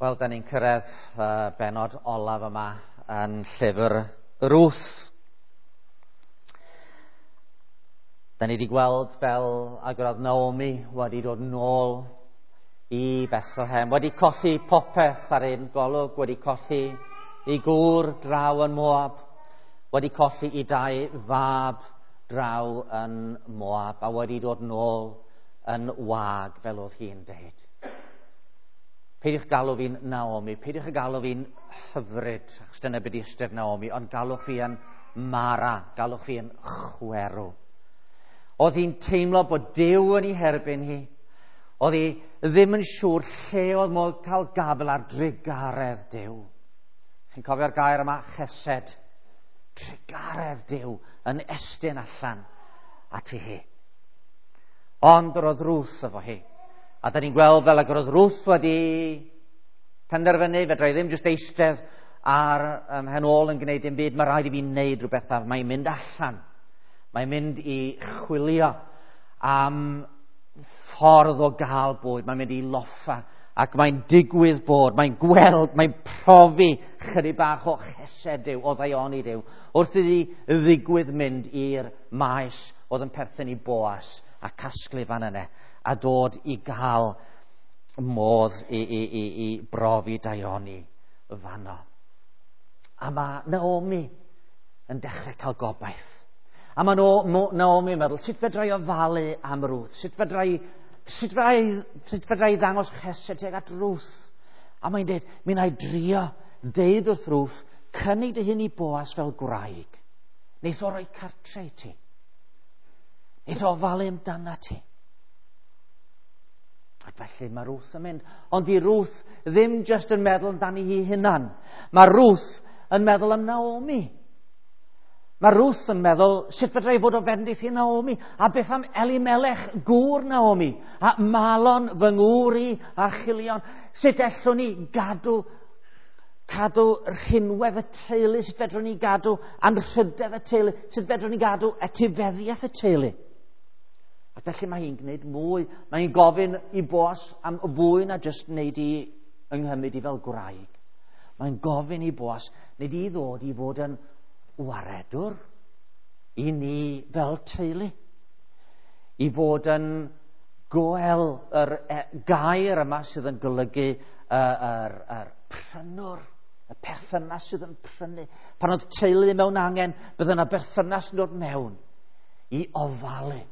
Wel, da ni'n cyrraedd benod olaf yma yn llyfr Ruth. Da ni wedi gweld fel ag oedd Naomi wedi dod nôl i Bethlehem, wedi colli popeth ar un golwg, wedi colli ei gŵr draw yn Moab, wedi colli ei dau fab draw yn Moab, a wedi dod nôl yn wag, fel oedd hi'n deud. Peidiwch galw fi'n Naomi, peidiwch galw fi'n hyfryd, achos dyna beth ystyr Naomi, ond galwch fi yn Mara, galwch fi yn chwerw. Oedd hi'n teimlo bod Duw yn ei herbyn hi. Oedd hi ddim yn siŵr lle oedd modd cael gafel ar drugaredd Duw. Chi'n cofio'r gair yma, chesed? Trugaredd Duw yn estyn allan ati hi. Ond yr oedd Ruth efo hi. A da ni'n gweld fel ag yr oedd Ruth wedi penderfynu, fedra i ddim jyst eistedd ar hen ôl yn gwneud dim byd, mae rhaid i fi wneud rhywbeth a mae'n mynd allan. Mae'n mynd i chwilio am ffordd o gael bwyd, mae'n mynd i loffa ac mae'n digwydd bod, mae'n gweld, mae'n profi chydig bach o chesed Duw, o ddaioni Duw, wrth iddi ddigwydd mynd i'r maes oedd yn perthyn i Boas a casglu fan yna a dod i gael modd i brofi daioni fanno. A mae Naomi yn dechrau cael gobaith. A mae Naomi yn meddwl, sut fedra i ofalu am Ruth? Sut fedra i ddangos chesed tuag at Ruth? A mae'n dweud, mi wna i drio deud wrth Ruth, cynnig dy hun i Boas fel gwraig. Neith o roi cartre i ti. Neith o ofalu amdana ti. Ac felly mae Ruth yn mynd. Ond di Ruth ddim jyst yn meddwl amdani hi hunan. Mae Ruth yn meddwl am Naomi. Mae Ruth yn meddwl, sut fedra i fod o fendith i Naomi? A beth am Elimelech, gŵr Naomi? A Malon, fy ngŵr i, a Chilion? Sut ellwn ni gadw rhinwedd y teulu? Sut fedrwn ni gadw anrhydedd y teulu? Sut fedrwn ni gadw etifeddiaeth y teulu? Ac felly mae hi'n gwneud mwy. Mae hi'n gofyn i Boas am fwy na jyst wneud i ynghymyd i fel gwraig. Mae'n gofyn i Boas wneud i ddod i fod yn waredwr i ni fel teulu. I fod yn goel yr gair yma sydd yn golygu yr prynwr, y perthynas sydd yn prynu. Pan oedd teulu mewn angen, bydde yna berthynas yn dod mewn i ofalu,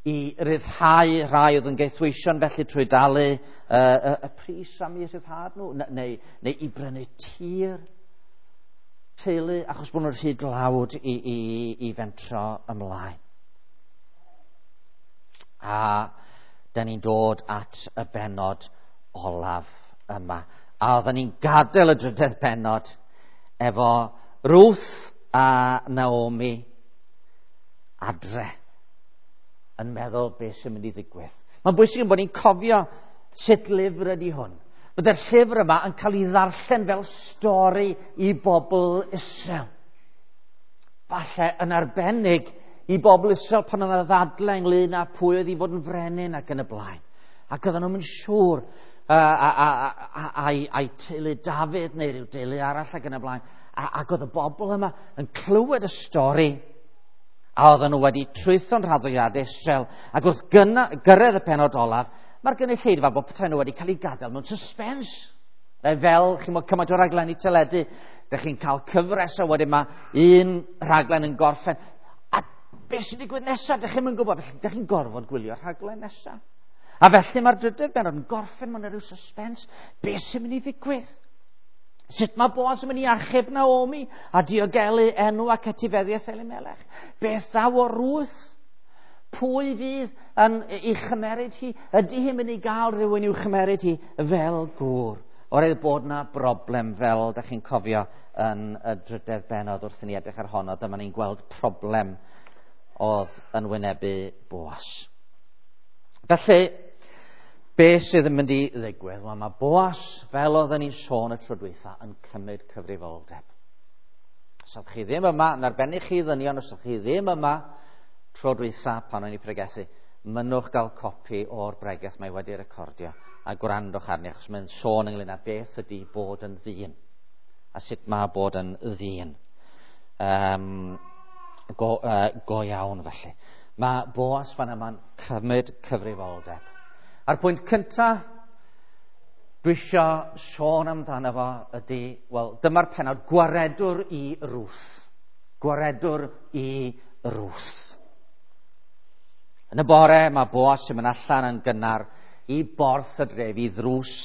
i ryddhau rhai oedd yn gaethweision felly trwy dalu y pris am eu rhyddhad nhw, neu i brynu tir teulu, achos bod nhw'n rhy dlawd i fentro ymlaen. A da ni'n dod at y bennod olaf yma. A oedden ni'n gadael y drydedd bennod efo Ruth a Naomi adre yn meddwl beth sy'n mynd i ddigwydd. Mae'n bwysig bod ni'n cofio sut lyfr ydy hwn. Byddai'r llyfr yma yn cael ei ddarllen fel stori i bobl Israel. Falle yn arbennig i bobl Israel pan oedd yna ddadlau ynglyn â pwy oedd i fod yn frenin ac yn y blaen. Ac oedden nhw'n siŵr a'i teulu Dafydd neu rhyw deulu arall ac yn y blaen. Ac oedd y bobl yma yn clywed y stori a oedden nhw wedi trwytho'n rhaddoiadau Israel. Ac wrth gyrraedd y pennod olaf, mae'r gynulleidfa bod petai nhw wedi cael ei gadael mewn suspens. Neu fel, chi'n gwybod, cymaint o raglenni teledu, dych chi'n cael cyfres a wedyn mae un rhaglen yn gorffen. A beth sy'n digwydd nesaf, dych chi'n gwybod, felly dych chi'n gorfod gwylio'r rhaglen nesaf. A felly mae'r drydydd bennod yn gorffen mewn rhyw suspens. Beth sy'n mynd i ddigwydd? Sut mae Boas yn mynd i achub Naomi a diogelu enw ac etifeddiaeth Elimelech? Beth ddaw o Ruth? Pwy fydd yn ei chymeryd hi? Ydy hi'n mynd i gael rhywun i'w chymeryd hi fel gŵr? Oherwydd bod na broblem fel dach chi'n cofio yn y drydedd bennod wrth i ni edrych ar honno, dyma ni'n gweld problem oedd yn wynebu Boas. Felly, beth sydd yn mynd i ddigwydd? Wel, mae Boas, fel oedden ni'n sôn y tro dwytha, yn cymryd cyfrifoldeb. Os ydych chi ddim yma, yn arbennig chi ddynion, os ydych chi ddim yma tro dwytha pan o'n i pregethu, mynnwch gael copi o'r bregeth mae wedi recordio a gwrandwch arni, achos mae'n sôn ynglyn â beth ydy bod yn ddyn, a sut mae bod yn ddyn. Go iawn felly. Mae Boas fan yma'n cymryd cyfrifoldeb. A'r pwynt cyntaf dwi eisiau sôn amdano fo ydy, wel, dyma'r pennod gwaredwr i Rwth. Gwaredwr i Rwth. Yn y bore mae Boas yn mynd allan yn gynnar i borth y dref, i ddrws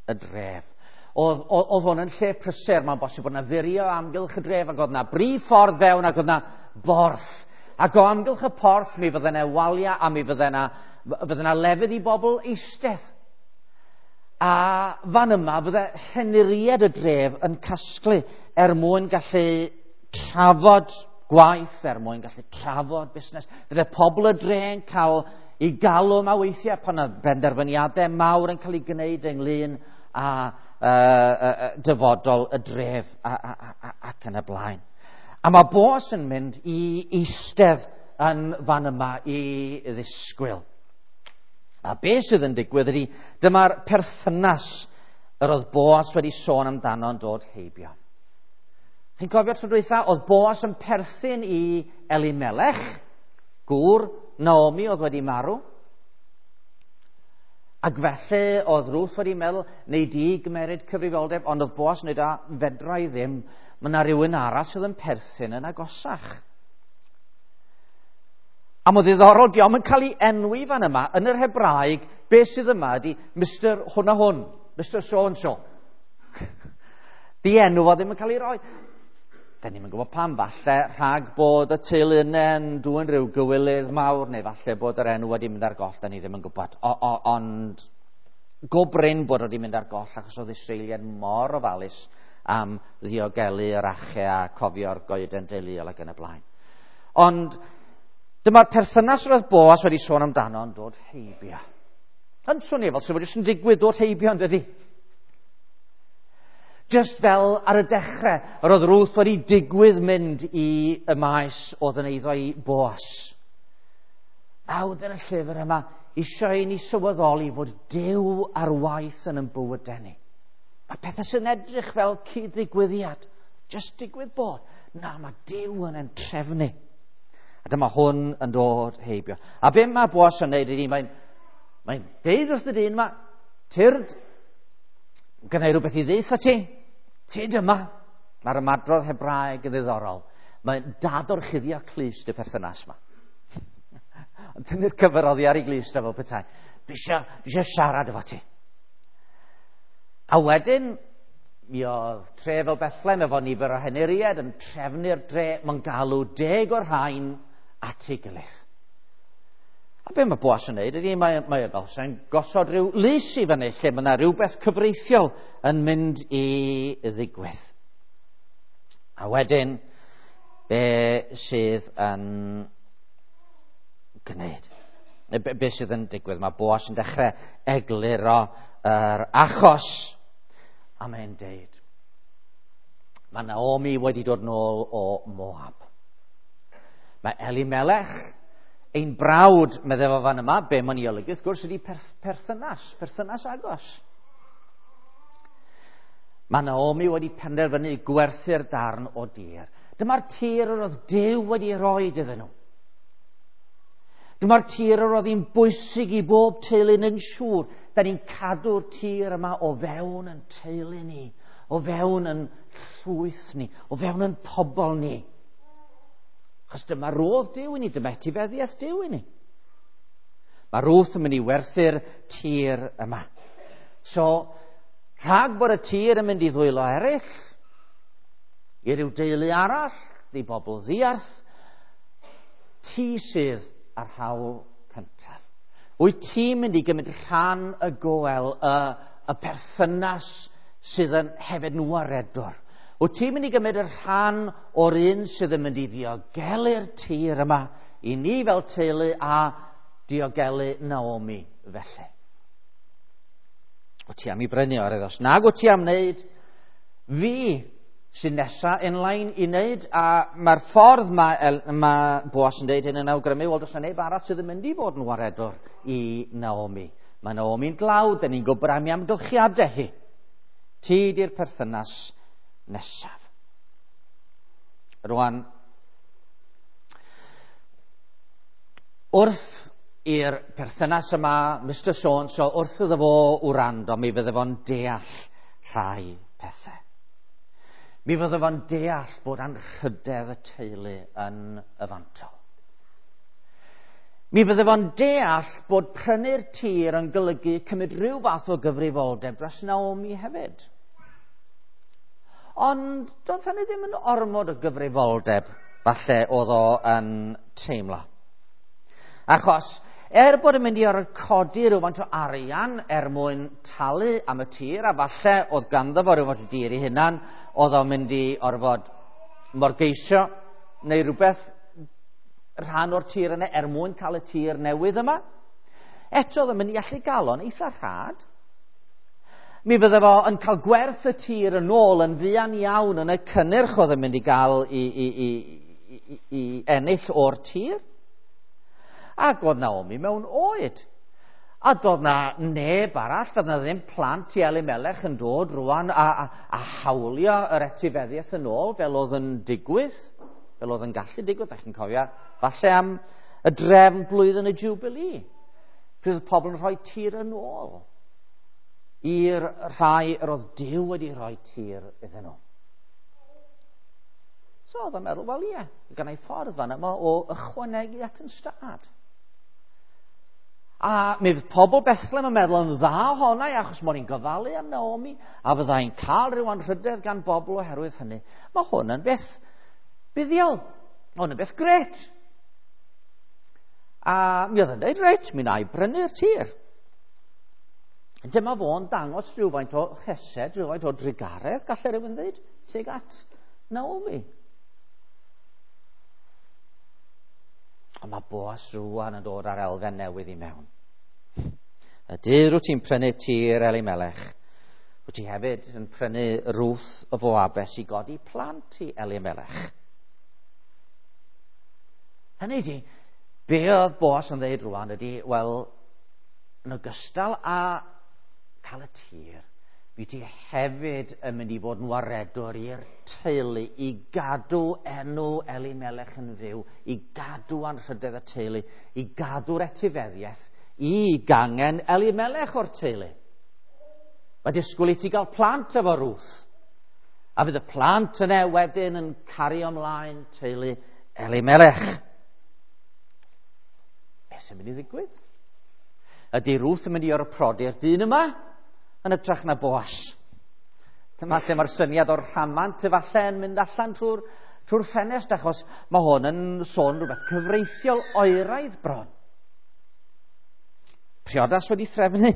y dref. Oedd hwn yn lle prysur, mae'n bosib bod yna furio amgylch y dref, ac oedd yna brif ffordd fewn, ac oedd yna borth. Ac o amgylch y porth mi fydde yna waliau a mi fydde yna lefydd i bobl eistedd. A fan yma fydde henuried y dref yn casglu er mwyn gallu trafod gwaith, er mwyn gallu trafod busnes. Fydde pobl y dre yn cael ei galw yma weithiau pan oedd benderfyniadau mawr yn cael ei gwneud ynglyn â dyfodol y dref ac yn y blaen. A mae Boas yn mynd i eistedd yn fan yma i ddisgwyl. A beth sydd yn digwydd ydy, dyma'r perthynas yr oedd Boas wedi sôn amdano yn dod heibio. Chi'n cofio tro dwytha, oedd Boas yn perthyn i Elimelech, gŵr Naomi oedd wedi marw. Ac felly oedd Ruth wedi meddwl, neu di gymeryd cyfrifoldeb, ond oedd Boas yn dweud, a fedra i ddim, mae yna rhywun arall sydd yn perthyn yn agosach. A mae'n ddiddorol, diolch yn cael ei enwi fan yma, yn yr Hebraeg, beth sydd yma ydy Mr hwn a hwn, Mr so and so. Di enw fo ddim yn cael ei roi. Da ni'm yn gwybod pam, falle rhag bod y teulu yna yn dwyn rhyw gywilydd mawr, neu falle bod yr enw wedi mynd ar goll, da ni ddim yn gwybod. Ond go brin bod wedi mynd ar goll, achos oedd Israeliaid mor ofalus am ddiogelu yr ache a cofio'r goeden deuluol ac yn y blaen. Ond dyma'r perthynas roedd Boas wedi sôn amdano yn dod heibio. Yn swnio fel sy'n jyst yn digwydd dod heibio, yn dydi? Just fel ar y dechrau, yr oedd Ruth wedi digwydd mynd i y maes oedd yn eiddo i Boas. Awdur y llyfr yma eisiau i ni sylweddoli fod Duw ar waith yn ein bywydau ni. Mae pethau sy'n edrych fel cyd-ddigwyddiad, just digwydd bod. Na, mae Duw yn ein trefnu. A dyma hwn yn dod heibio. A be mae Boas yn neud ydy, mae'n deud wrth y dyn yma, tyrd, gynna i rhywbeth i ddeutha ti, tyd yma. Mae'r ymadrodd Hebraeg yn ddiddorol. Mae'n dadorchuddio clust y perthynas yma. Ond tynnu'r cyfer oddi ar ei glust efo petai. Dwi eisiau siarad efo ti. A wedyn, mi oedd tre fel Bethlehem efo nifer o henuriaid yn trefnu'r dre, mae'n galw 10 o'r rhain at ei gilydd. A be mae Boas yn neud ydy, mae fel sy'n gosod rhyw lys i fyny lle mae yna rhywbeth cyfreithiol yn mynd i ddigwydd. A wedyn, be sydd yn gwneud? Be sydd yn digwydd? Mae Boas yn dechrau egluro yr achos, a mae'n deud, mae Naomi wedi dod nôl o Moab. Mae Elimelech, ein brawd, meddai fo fan yma, be mae'n ei olygu, wrth gwrs, ydy perthynas agos. Mae Naomi wedi penderfynu gwerthu'r darn o dir. Dyma'r tir yr oedd Duw wedi roi iddyn nhw. Dyma'r tir yr oedd hi'n bwysig i bob teulu yn siŵr. Da ni'n cadw'r tir yma o fewn yn teulu ni, o fewn yn llwyth ni, o fewn yn pobl ni. Achos dyma rodd Duw i ni, dyma etifeddiaeth Duw i ni. Mae Ruth yn mynd i werthu'r tir yma. So, rhag bod y tir yn mynd i ddwylo eraill, i ryw deulu arall, i bobl ddiarth, ti sydd ar hawl cyntaf. Wyt ti'n mynd i gymryd rhan y goel, y perthynas sydd yn hefyd yn waredwr? Wyt ti'n mynd i gymryd y rhan o'r un sydd yn mynd i ddiogelu'r tir yma i ni fel teulu a diogelu Naomi felly? Wyt ti am i brynu o'r os nag wyt ti am wneud, fi sy'n nesa in line i wneud, a mae'r ffordd mae Boas yn deud hyn yn awgrymu, wel, does 'na neb arall sydd yn mynd i fod yn waredwr i Naomi. Mae Naomi'n dlawd, da ni'n gwybod am ei amgylchiadau hi. Ti di'r perthynas nesaf. Rwan, wrth i'r perthynas yma, Mr So-and-so, wrth iddo fo wrando, mi fydde fo'n deall rhai pethau. Mi fydde fo'n deall bod anrhydedd y teulu yn y fantol. Mi fydde fo'n deall bod prynu'r tir yn golygu cymryd rhyw fath o gyfrifoldeb dros Naomi hefyd. Ond doedd hynny ddim yn ormod o gyfrifoldeb, falle oedd o yn teimlo. Achos, er bod yn mynd i orfod codi rhywfaint o arian er mwyn talu am y tir, a falle oedd ganddo fo rhywfaint o dir ei hunan, oedd o'n mynd i orfod morgeisio neu rhywbeth rhan o'r tir yna er mwyn cael y tir newydd yma. Eto oedd yn mynd i allu gael o'n eitha rhad. Mi fydde fo yn cael gwerth y tir yn ôl yn fuan iawn yn y cynnyrch oedd yn mynd i gael i ennill o'r tir. Ac oedd Naomi mewn oed. A doedd na neb arall, doedd na ddim plant i Elimelech yn dod rwan a hawlio yr etifeddiaeth yn ôl fel oedd yn digwydd, fel oedd yn gallu digwydd, da chi'n cofio, falle am y drefn blwyddyn y Jubilee. Pryd oedd pobl yn rhoi tir yn ôl i'r rhai yr oedd Duw wedi rhoi tir iddyn nhw. So oedd o'n meddwl, wel ie, gan ei ffordd fan yma o ychwanegu at yn stad. A mi fydd pobl Bethlehem yn meddwl yn dda ohona i, achos mod i'n gofalu am Naomi, a fyddai'n cael rhyw anrhydedd gan bobl oherwydd hynny. Mae hwn yn beth buddiol. Mae hwn yn beth gret. A mi oedd yn dweud, reit, mi wna i brynu'r tir. Dyma fo'n dangos rhywfaint o chesed, rhywfaint o drugaredd, gallai rhywun ddweud, tuag at Naomi. Ond mae Boas rwan yn dod ar elfen newydd i mewn. Y dydd rwyt ti'n prynu tir Elimelech, rwyt ti hefyd yn prynu Ruth o Foabes i godi plant i Elimelech. Hynny ydi, be oedd Boas yn dweud rwan ydi, wel, yn ogystal â cael y tir, fi ti hefyd yn mynd i fod yn waredwr i'r teulu, i gadw enw Elimelech yn fyw, i gadw anrhydedd y teulu, i gadw'r etifeddiaeth, i gangen Elimelech o'r teulu. Mae disgwyl i ti gael plant efo Ruth, a fydd y plant yna wedyn yn cario ymlaen teulu Elimelech. Beth sy'n mynd i ddigwydd? Ydy Ruth yn mynd i orprodi'r dyn yma yn hytrach na Boas? Dyma lle mae'r syniad o'r rhamant efallai yn mynd allan trwy'r ffenest, achos mae hwn yn sôn rhywbeth cyfreithiol oeraidd bron. Priodas wedi threfnu.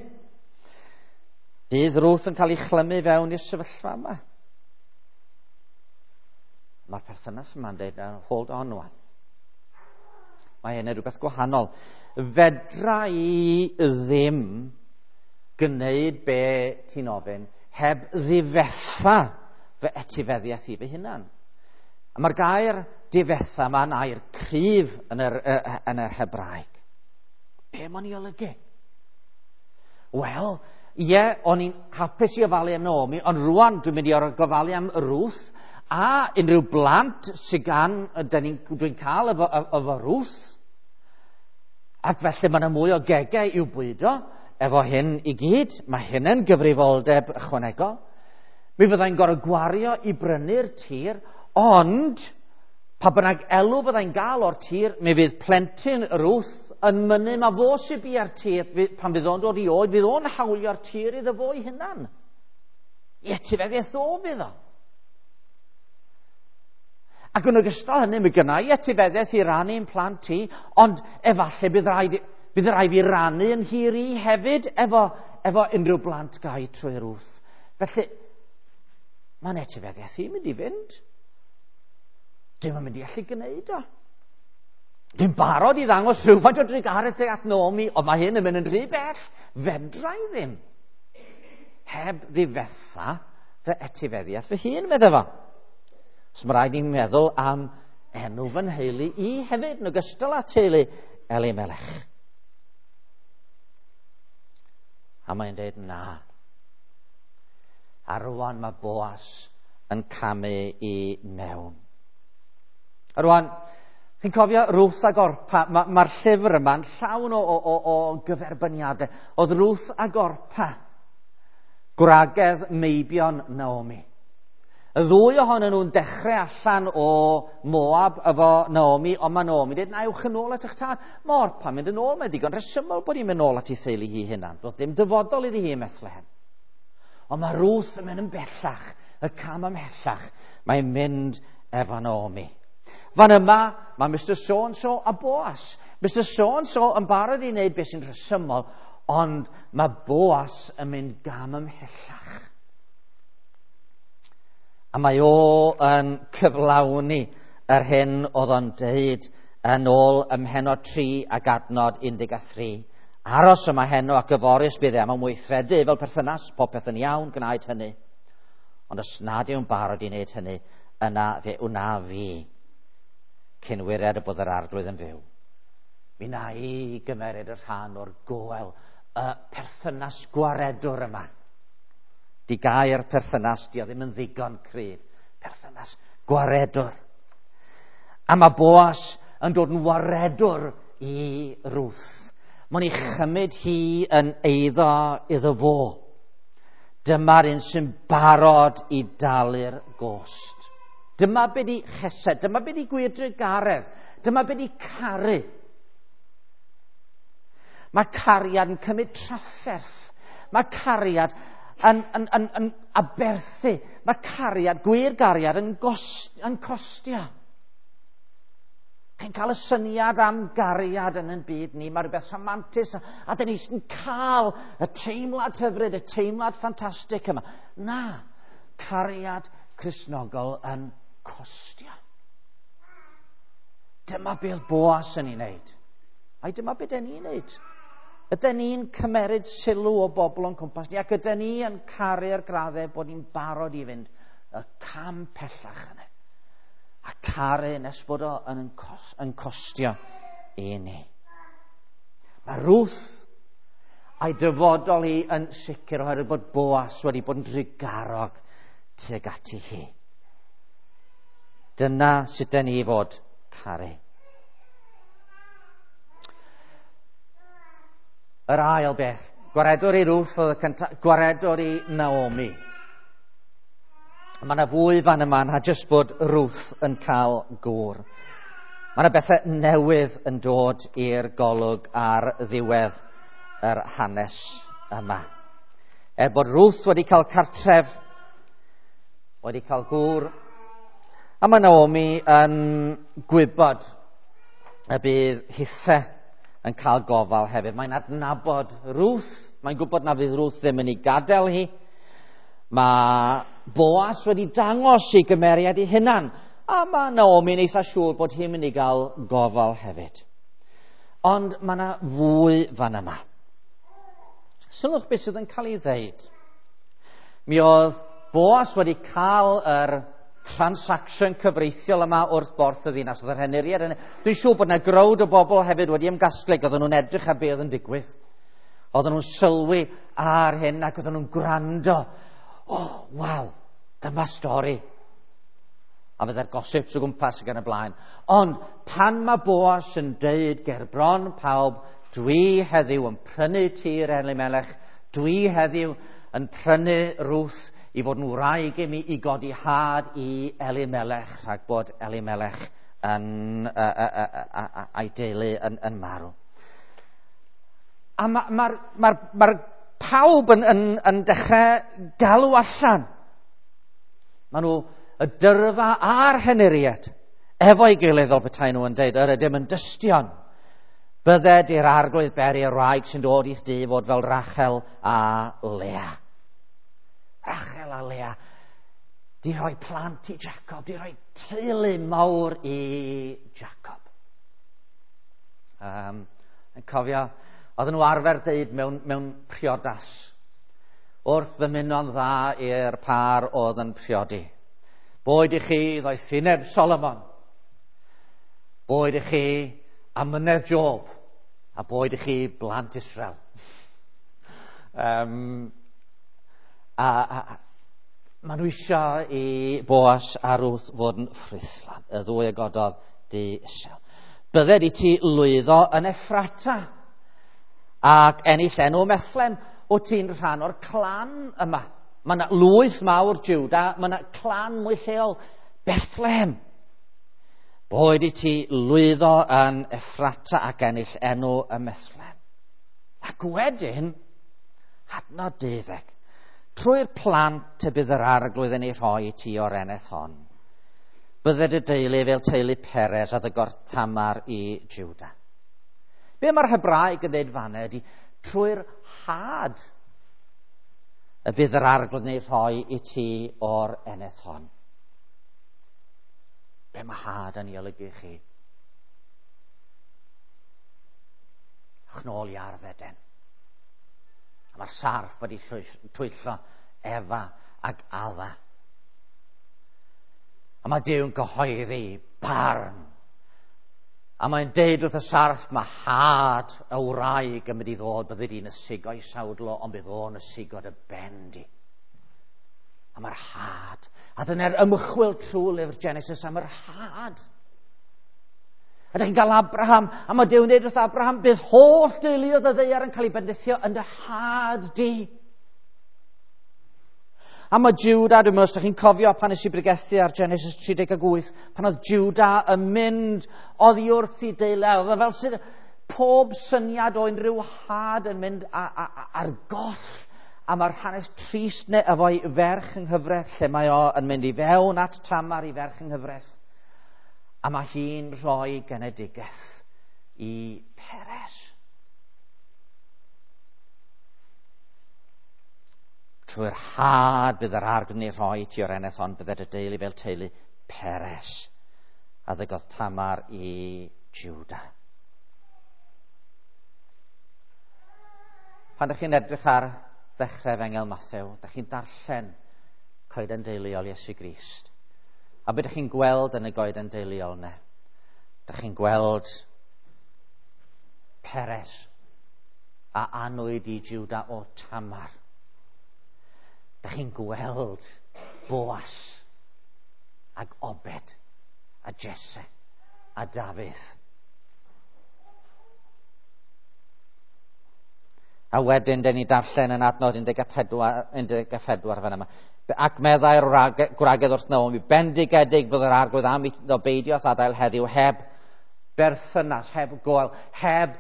Bydd Ruth yn cael ei chlymu fewn i'r sefyllfa yma. Mae'r perthynas yma'n dweud, hold on wan. Mae hyn yn rhywbeth gwahanol. Fedra i ddim gwneud be ti'n ofyn heb ddifetha fy etifeddiaeth i fy hunan. A mae'r gair difetha yma'n air cryf yn yr Hebraeg. Be mae'n ei olygu? Wel, ie, o'n i'n hapus i ofalu am Naomi, ond rwan dwi'n mynd i orfod gofalu am Ruth a unrhyw blant sydd gan, dwi'n cael efo Ruth. Ac felly mae yna mwy o gegau i'w bwydo efo hyn i gyd. Mae hyn yn gyfrifoldeb ychwanegol. Mi fyddai'n gorfod gwario i brynu'r tir, ond pa bynnag elw fyddai'n gael o'r tir, mi fydd plentyn Ruth yn mynnu ma fo sy'n bia'r tir, pan fydd o'n dod i oed, fydd o'n hawlio'r tir iddo fo ei hunan. I etifeddiaeth o fydd o. Ac yn ogystal hynny, mi gynna i etifeddiaeth i rannu'n plant i, ond efallai bydd rhaid fi rannu yn hir i hefyd efo unrhyw blant gai trwy Ruth. Felly, mae'n etifeddiaeth i'n mynd i fynd. Dwi'm yn mynd i allu gwneud o. Dwi'n barod i ddangos rhywfaint o drugaredd tuag at Naomi, ond mae hyn yn mynd yn rhy bell. Fedra i ddim. Heb ddifetha fy etifeddiaeth fy hun, meddai fo. So mae rhaid i'n meddwl am enw fy nheulu i hefyd, yn ogystal â teulu Elimelech. A mae'n dweud na. A rwan mae Boas yn camu i mewn. A rwan, chi'n cofio Ruth ag Orpa, mae'r ma llyfr yma'n llawn o gyferbyniadau. Oedd Ruth ag Orpa, gwragedd meibion Naomi. Y ddwy ohonyn nhw'n dechrau allan o Moab efo Naomi, ond mae Naomi dweud, na, ewch yn ôl at eich tad. Mae Orpa'n mynd yn ôl, mae'n ddigon rhesymol bod hi'n mynd ôl at ei theulu hi hunan. Doedd dim dyfodol iddi hi ym Methlehem. Ond mae Ruth yn mynd yn bellach, y cam ymhellach. Mae'n mynd efo Naomi. Fan yma, mae Mr So-and-so a Boas. Mr So-and-so yn barod i wneud beth sy'n rhesymol, ond mae Boas yn mynd gam ymhellach. A mae o yn cyflawni yr hyn oedd o'n deud yn ôl ym mhennod 3 ac adnod 13. Aros yma heno ac yfory os bydd e am weithredu fel perthynas, popeth yn iawn, gwnaed hynny. Ond os nad yw'n barod i wneud hynny, yna fe wna fi cyn wired y bod yr arglwydd yn fyw. Mi wna i gymeryd y rhan o'r goel, y perthynas gwaredwr yma. Di gair perthynas, di o ddim yn ddigon cryf. Perthynas gwaredwr. A mae Boas yn dod yn waredwr i Ruth. Mae'n ei chymryd hi yn eiddo iddo fo. Dyma'r un sy'n barod i dalu'r gost. Dyma be di chesed, dyma be di gwir drugaredd, dyma be di caru. Mae cariad yn cymryd trafferth. Mae cariad yn aberthu. Mae cariad, gwir gariad, yn costio. Chi'n cael y syniad am gariad yn ein byd ni. Mae rhywbeth rhamantus a dyn ni sy'n cael y teimlad hyfryd, y teimlad ffantastig yma. Na, cariad Cristnogol yn costio. Dyma beth Boas yn ei wneud. Ai dyma beth dyn ni'n wneud. Ydyn ni'n cymeryd sylw o bobl o'n cwmpas ni, ac ydyn ni yn caru'r graddau bod ni'n barod i fynd y cam pellach yna. A caru nes bod o yn costio i ni. Mae Ruth a'i dyfodol hi yn sicr oherwydd bod Boas wedi bod yn drugarog tuag ati hi. Dyna sut dyn ni fod caru. Yr ail beth, gwaredwr i Ruth oedd y cyntaf, gwaredwr i Naomi. Mae yna fwy fan yma na jyst bod Ruth yn cael gŵr. Mae yna bethau newydd yn dod i'r golwg ar ddiwedd yr hanes yma. Er bod Ruth wedi cael cartref, wedi cael gŵr, a mae Naomi yn gwybod y bydd hithe yn cael gofal hefyd. Mae'n adnabod Ruth, mae'n gwybod na fydd Ruth ddim yn ei gadael hi. Mae Boas wedi dangos ei gymeriad ei hunan, a mae Naomi'n eitha siŵr bod hi'n mynd i gael gofal hefyd. Ond mae yna fwy fan yma. Sylwch beth sydd yn cael ei ddeud. Mi oedd Boas wedi cael yr transaction cyfreithiol yma wrth borth y ddinas. Oedd yr henuriad yna. Dwi'n siŵr bod yna growd o bobl hefyd wedi ymgasglu, oedden nhw'n edrych ar be oedd yn digwydd. Oedden nhw'n sylwi ar hyn ac oedden nhw'n gwrando. Oh, waw, dyma stori. A fydde'r gossips o gwmpas ac yn y blaen. Ond pan mae Boas yn deud ger bron pawb, dwi heddiw yn prynu tir Elimelech, dwi heddiw yn prynu Ruth i fod yn wraig i mi i godi had i Elimelech, rhag bod Elimelech yn, a'i deulu yn marw. A mae'r pawb yn dechrau galw allan. Maen nhw y dyrfa a'r henuriad efo'i gilydd fel petai nhw yn deud, yr ydym yn dystion. Bydded i'r arglwydd beri y wraig sy'n dod i'th dŷ fod fel Rachel a Lea. Rachel a Lea di rhoi plant i Jacob, di rhoi teulu mawr i Jacob. Yn cofio, oedden nhw arfer deud mewn priodas, wrth ddymuno'n dda i'r par oedd yn priodi. Boed i chi ddoethineb Solomon, boed i chi amynedd Job, a boed i chi blant Israel. A maen nhw eisiau i Boas a Ruth fod yn ffrwythlon, y ddwy a gododd di isel. Bydded i ti lwyddo yn Effrata ac ennill enw Methlem, o ti'n rhan o'r clan yma. Mae yna lwyth mawr Juda, mae yna clan mwy lleol, Bethlehem. Boed i ti lwyddo yn Effrata ac ennill enw y Methlem. Ac wedyn, adnod 12, trwy'r plant y bydd yr arglwydd yn ei rhoi i ti o'r eneth hon. Bydded y deulu fel teulu Peres a ddygodd Tamar i Juda. Be mae'r Hebraeg yn dweud fanna ydy, trwy'r had y bydd yr arglwydd yn ei rhoi i ti o'r eneth hon. Be mae had yn ei olygu chi? Ewch nôl i ardd Eden. A mae'r sarff wedi twyllo Efa ac Adda. A mae Duw'n cyhoeddi barn. A mae'n deud wrth y sarff, mae had y wraig yn mynd i ddod, bydde di'n ysigo i sawdl o, ond bydd o'n ysigo dy ben di. A mae'r had. A dyna'r ymchwil trwy lyfr Genesis am yr had. A ydych chi'n cael Abraham, a mae Duw'n dweud wrth Abraham, bydd holl deuluoedd y ddaear yn cael ei bendithio yn dy had di. A mae Juda, dwi'n meddwl, os ydych chi'n cofio pan nes i bregethu ar Genesis 38, pan oedd Juda yn mynd oddi wrth i deulu, oedd e fel sydd pob syniad o unrhyw had yn mynd ar goll. A mae'r hanes trist neu efo'i ferch yng nghyfraith, lle mae o yn mynd i fewn at Tamar i ferch yng nghyfraith. A mae hi'n rhoi genedigaeth i Peres. Trwy'r had bydd yr arglwydd yn ei rhoi ti o'r eneth hon, bydded y deulu fel teulu Peres, a ddygodd Tamar i Juda. Pan ydych chi'n edrych ar ddechrau Efengyl Mathew, ydych chi'n darllen coeden deuluol Iesu Grist. A beth ydych chi'n gweld yn y goeden deuluol yna? Ydych chi'n gweld Peres a anwyd i Juda o Tamar. Ydych chi'n gweld Boas ag Obed a Jesse a Dafydd. A wedyn, dyn ni darllen yn adnod 14 fan yma. Ac meddai'r gwragedd wrth Naomi, bendigedig bydd yr arglwydd am iddo beidio â'th adael heddiw heb berthynas, heb goel, heb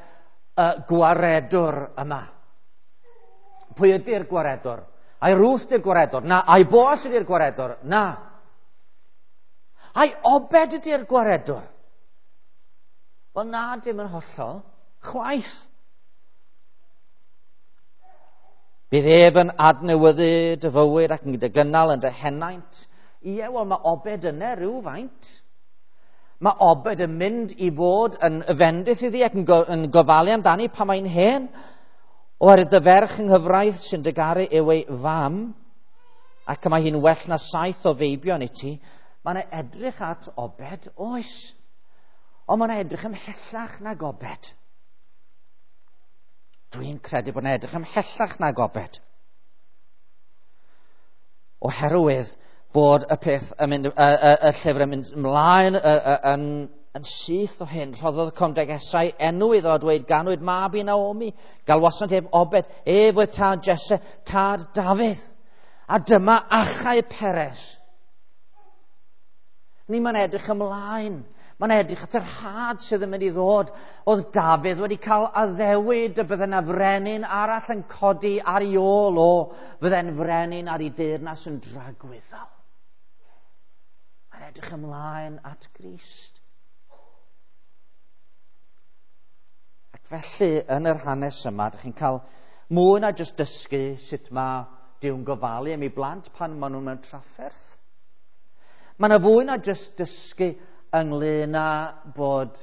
gwaredwr yma. Pwy ydy'r gwaredwr? Ai Ruth ydy'r gwaredwr? Na. Ai Boas ydy'r gwaredwr? Na. Ai Obed ydy'r gwaredwr? Wel na, dim yn hollol. Chwaith. Bydd ef yn adnewyddu dy fywyd ac yn dy gynnal yn dy henaint. Ie, wel mae Obed yna rhywfaint. Mae Obed yn mynd i fod yn fendith iddi ac yn gofalu amdani pan mae'n hen. Oherwydd dy ferch yng nghyfraith sy'n dy garu yw ei fam, ac mae hi'n well na 7 o feibion i ti. Mae'n edrych at Obed, oes. Ond mae'n edrych ymhellach nag Obed. Dwi'n credu bod yn edrych ymhellach nag Obed. Oherwydd bod y peth yn mynd, y llyfr yn mynd ymlaen yn syth o hyn. Rhoddodd y cymdeithasau enw iddo a dweud, ganwyd mab i Naomi, galwasant ef Obed, ef oedd tad Jesse, tad Dafydd. A dyma achau Peres. Ni mae'n edrych ymlaen. Mae'n edrych at yr had sydd yn mynd i ddod. Oedd Dafydd wedi cael addewid y bydde yna frenin arall yn codi ar ei ôl o, fydde'n frenin ar ei deyrnas yn dragwyddol. Mae'n edrych ymlaen at Grist. Ac felly, yn yr hanes yma, ydych chi'n cael mwy na jyst dysgu sut mae Duw'n gofalu am ei blant pan maen nhw mewn trafferth. Mae yna fwy na jyst dysgu ynglyn â bod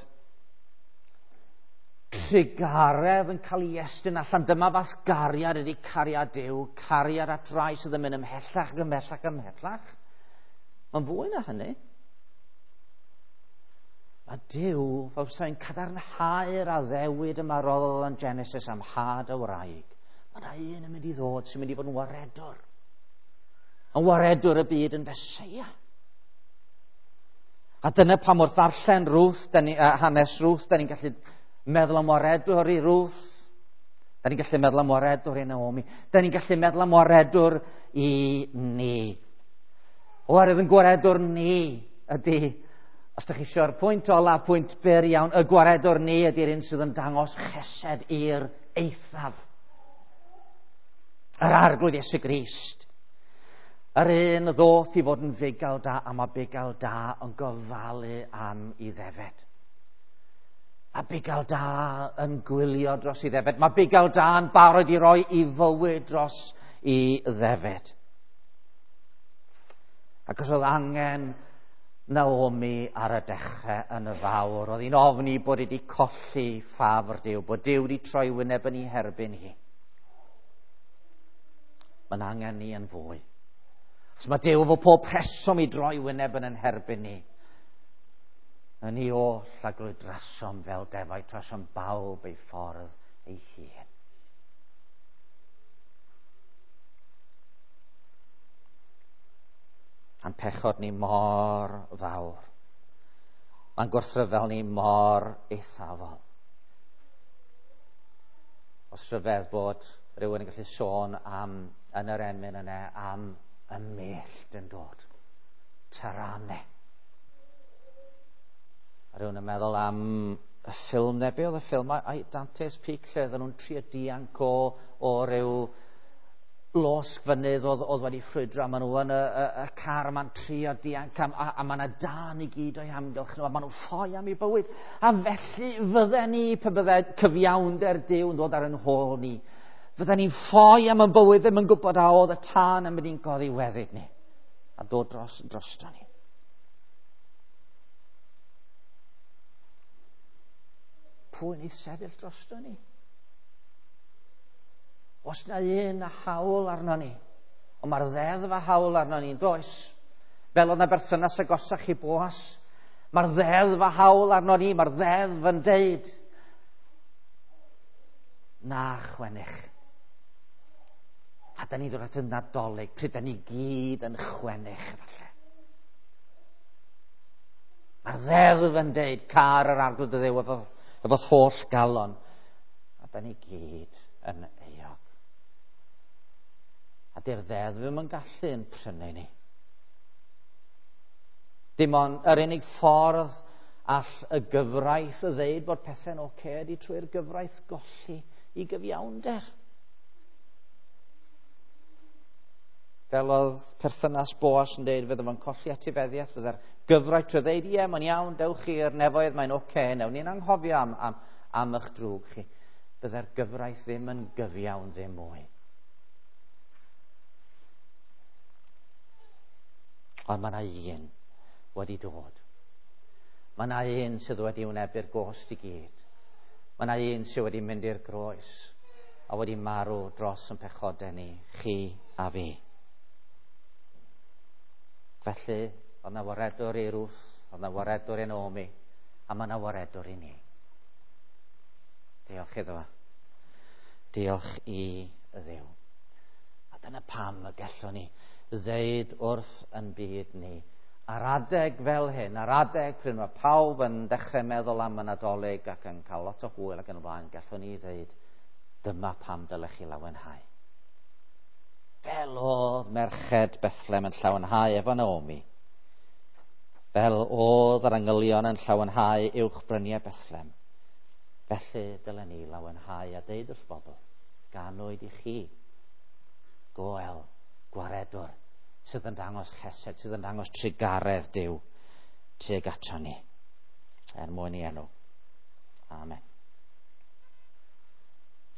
trugaredd yn cael ei estyn allan. Dyma fath gariad ydy cariad Duw, cariad at rai sydd yn mynd ymhellach ac ymhellach ymhellach. Mae'n fwy na hynny. Mae Duw fel sy'n cadarnhau'r addewid yma roddodd yn Genesis am had y wraig. Mae yna un yn mynd i ddod sy'n mynd i fod yn waredwr. Yn waredwr y byd yn Feseia. A dyna pam wrth ddarllen Ruth, hanes Ruth, da ni'n gallu meddwl am waredwr i Ruth. Da ni'n gallu meddwl am waredwr i Naomi. Da ni'n gallu meddwl am waredwr i ni. Oherwydd yn gwaredwr ni ydy, os ydych chi eisiau'r pwynt ola, pwynt byr iawn, y gwaredwr ni ydy'r un sydd yn dangos chesed i'r eithaf. Yr Arglwydd Iesu Grist. Yr un ddoth i fod yn fugail da, a mae bugail da yn gofalu am ei ddefed. A bugail da yn gwylio dros ei ddefed. Mae bugail da yn barod i roi ei fywyd dros ei ddefed. Ac os oedd angen Naomi ar y dechrau yn y fawr, oedd hi'n ofni bod wedi colli ffafr Duw, bod Duw wedi troi wyneb yn ei herbyn hi. Mae'n angen ni yn fwy. Os mae Duw efo pob rheswm i droi wyneb yn herbyn ni. Yn ni oll a glwydrasom fel defaid, trasom bawb ei ffordd ei hun. A'n pechod ni mor fawr. Mae'n gwrthryfel ni mor eithafol. Os rhyfedd bod rhywun yn gallu sôn am yn yr emyn yna am y mellt yn dod. Tarane. A rhywun yn meddwl am y ffilm neu be oedd y ffilm? Ai Dante's Peak lle oedden nhw'n trio dianc o ryw losg fynydd oedd wedi ffrwydro, a maen nhw yn y car yma'n trio dianc, a mae yna dân i gyd o'i hamgylch nhw, a maen nhw'n ffoi am eu bywyd. A felly fydden ni, pe bydde cyfiawnder Duw yn dod ar yn hôl ni, fydden ni'n ffoi am y bywyd, ddim yn gwybod a oedd y tân yn mynd i'n goddiweddyd ni, a dod drosto ni. Pwy yn ei sefyll drosto ni? Os na un a hawl arno ni, ond mae'r ddeddf a hawl arno ni, does? Fel oedd na berthynas agosach i Boas, mae'r ddeddf a hawl arno ni, mae'r ddeddf yn deud, na chwennych. A da ni ddod at y Nadolig, pryd da ni gyd yn chwennych, falle. Mae'r ddeddf yn deud, car yr Arglwydd dy Dduw efo'th holl galon. A da ni gyd yn euog. A di'r ddeddf ddim yn gallu yn prynu ni. Dim ond yr unig ffordd all y gyfraith ddeud bod pethau'n ocê ydy trwy'r gyfraith golli i gyfiawnder. Fel oedd perthynas Boas yn deud, fydde fo'n colli etifeddiaeth, fydde'r gyfraith trwy ddeud, ie, mae'n iawn, dewch chi i'r nefoedd, mae'n ocê, newn ni'n anghofio am eich drwg chi. Fydde'r gyfraith ddim yn gyfiawn ddim mwy. Ond mae yna un wedi dod. Mae yna un sydd wedi wynebu'r gost i gyd. Mae yna un sydd wedi mynd i'r groes a wedi marw dros yn pechodau ni, chi a fi. Felly, oedd yna waredwr i Ruth, oedd yna waredwr i Naomi, a mae yna waredwr i ni. Diolch iddo fo. Diolch i Dduw. A dyna pam y gallwn ni ddeud wrth yn byd ni, ar adeg fel hyn, ar adeg pryd mae pawb yn dechrau meddwl am y Nadolig ac yn cael lot o hwyl ac yn y blaen, gallwn ni ddeud, dyma pam dylech chi lawenhau. Fel oedd merched Bethlehem yn llawenhau efo Naomi, fel oedd yr angylion yn llawenhau uwch bryniau Bethlehem, felly dylen ni lawenhau a deud wrth bobl, ganwyd i chi goel gwaredwr sydd yn dangos chesed, sydd yn dangos trugaredd Duw tuag ato ni, er mwyn i enw. Amen.